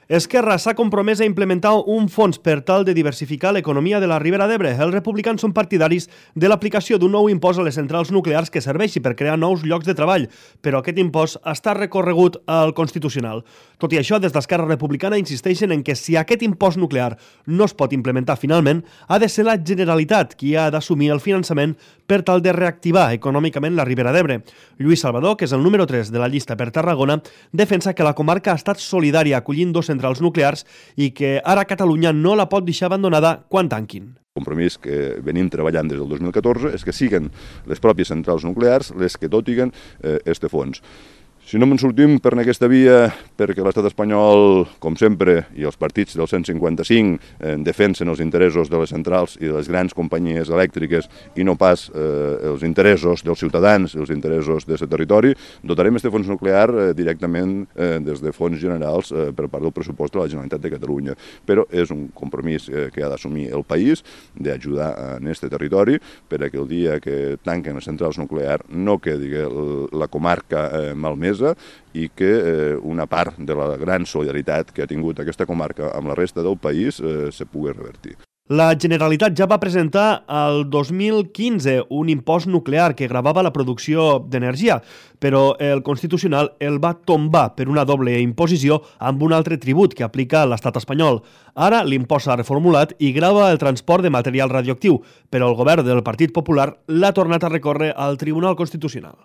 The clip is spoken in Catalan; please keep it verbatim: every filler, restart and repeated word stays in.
Esquerra s'ha compromès a implementar un fons per tal de diversificar l'economia de la Ribera d'Ebre. Els republicans són partidaris de l'aplicació d'un nou impost a les centrals nuclears que serveixi per crear nous llocs de treball, però aquest impost està recorregut al Constitucional. Tot i això, des d'Esquerra Republicana insisteixen en que si aquest impost nuclear no es pot implementar finalment, ha de ser la Generalitat qui ha d'assumir el finançament per tal de reactivar econòmicament la Ribera d'Ebre. Lluís Salvador, que és el número tres de la llista per Tarragona, defensa que la comarca ha estat solidària acollint dos centrals nuclears i que ara Catalunya no la pot deixar abandonada quan tanquin. El compromís que venim treballant des del dos mil catorze és que siguen les pròpies centrals nuclears les que dotiguen aquest fons. Si no me'n sortim per aquesta via, perquè l'estat espanyol, com sempre, i els partits del cent cinquanta-cinc eh, defensen els interessos de les centrals i de les grans companyies elèctriques i no pas eh, els interessos dels ciutadans i els interessos d'aquest territori, dotarem aquest fons nuclear eh, directament eh, des de fons generals eh, per part del pressupost de la Generalitat de Catalunya. Però és un compromís eh, que ha d'assumir el país d'ajudar en aquest territori per a que el dia que tanquen les centrals nuclears no quedi la comarca eh, malmesa i que eh, una part de la gran solidaritat que ha tingut aquesta comarca amb la resta del país eh, se pugui revertir. La Generalitat ja va presentar el dos mil quinze un impost nuclear que gravava la producció d'energia, però el Constitucional el va tombar per una doble imposició amb un altre tribut que aplica l'estat espanyol. Ara l'impost s'ha reformulat i grava el transport de material radioactiu, però el govern del Partit Popular l'ha tornat a recórrer al Tribunal Constitucional.